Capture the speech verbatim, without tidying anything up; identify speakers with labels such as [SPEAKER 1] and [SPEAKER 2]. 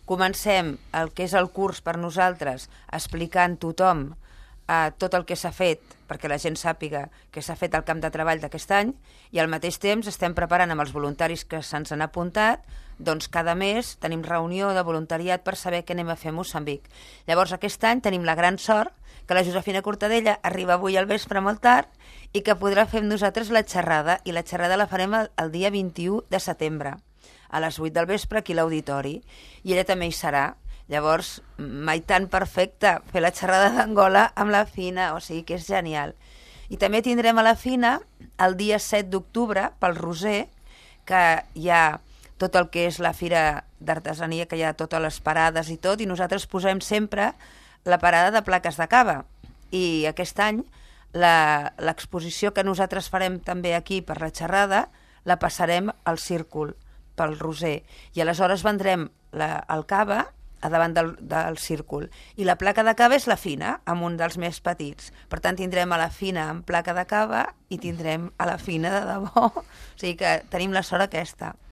[SPEAKER 1] comencem el que és el curs per nosaltres explicant tothom eh, tot el que s'ha fet, perquè la gent sàpiga que s'ha fet al camp de treball d'aquest any, i al mateix temps estem preparant amb els voluntaris que se'ns han apuntat, doncs cada mes tenim reunió de voluntariat per saber què anem a fer a Moçambic. Llavors aquest any tenim la gran sort que la Josefina Cortadella arriba avui al vespre molt tard i que podrà fer amb nosaltres la xerrada, i la xerrada la farem el, el dia vint-i-u de setembre, a les vuit del vespre aquí a l'auditori, i ella també hi serà. Llavors, mai tan perfecte fer la xerrada d'Angola amb la Fina, o sigui que és genial. I també tindrem a la Fina el dia set d'octubre, pel Roser, que hi ha tot el que és la fira d'artesania, que hi ha totes les parades i tot, i nosaltres posem sempre la parada de plaques de cava. I aquest any l'exposició que nosaltres farem també aquí per la xerrada la passarem al círcul, pel Roser. I aleshores vendrem la, el cava a davant del, del círcul. I la placa de cava és la Fina, amb un dels més petits. Per tant, tindrem a la Fina amb placa de cava i tindrem a la Fina de debò. O sigui que tenim la sort aquesta.